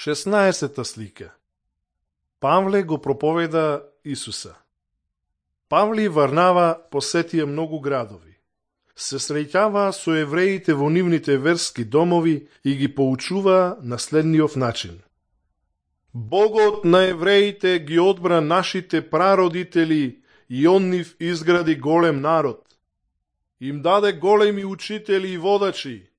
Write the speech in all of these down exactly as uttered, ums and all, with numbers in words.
шеснаесетта слика. Павле го проповеда Исуса. Павле и Варнава посетија многу градови. Се среќаваа со евреите во нивните верски домови и ги поучуваа на следниот начин. Богот на евреите ги одбра нашите прародители и он нив изгради голем народ. Им даде големи учители и водачи.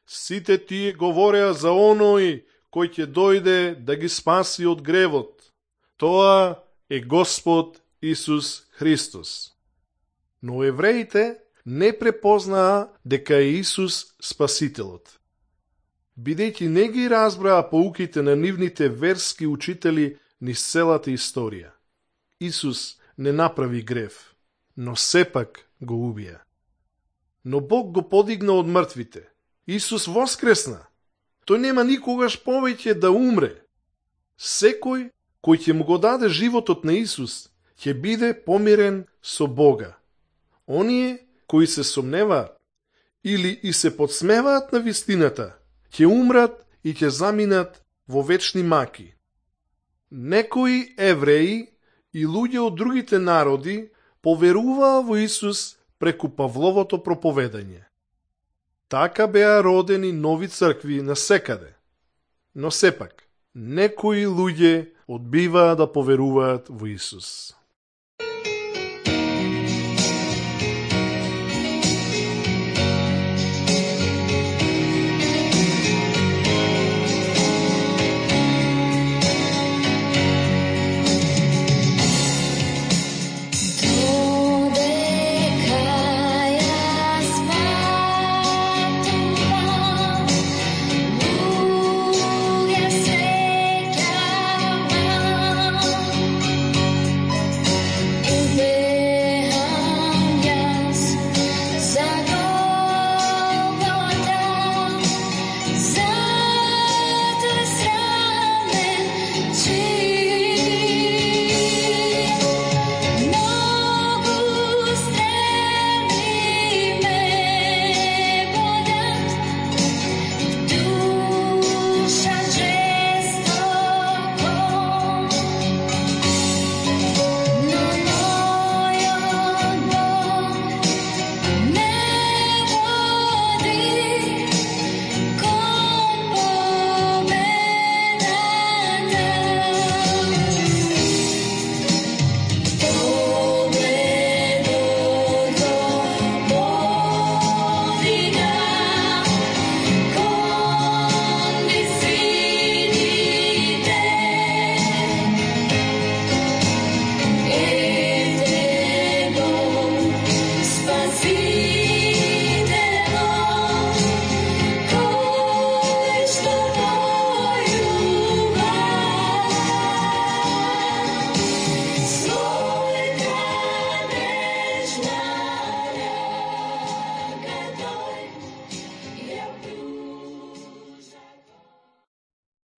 Сите тие говореа за оној кој ќе дојде да ги спаси од гревот. Тоа е Господ Исус Христос. Но евреите не препознаа дека е Исус Спасителот. Бидејќи не ги разбраа поуките на нивните верски учители низ целата историја. Исус не направи грев, но сепак го убија. Но Бог го подигна од мртвите. Исус воскресна. Тој нема никогаш повеќе да умре. Секој кој ќе му го даде животот на Исус, ќе биде помирен со Бога. Оние кои се сомневаат или и се подсмеваат на вистината, ќе умрат и ќе заминат во вечни маки. Некои евреи и луѓе од другите народи поверуваа во Исус преку Павловото проповедање. Така беа родени нови цркви насекаде. Но сепак, некои луѓе одбиваа да поверуваат во Исус.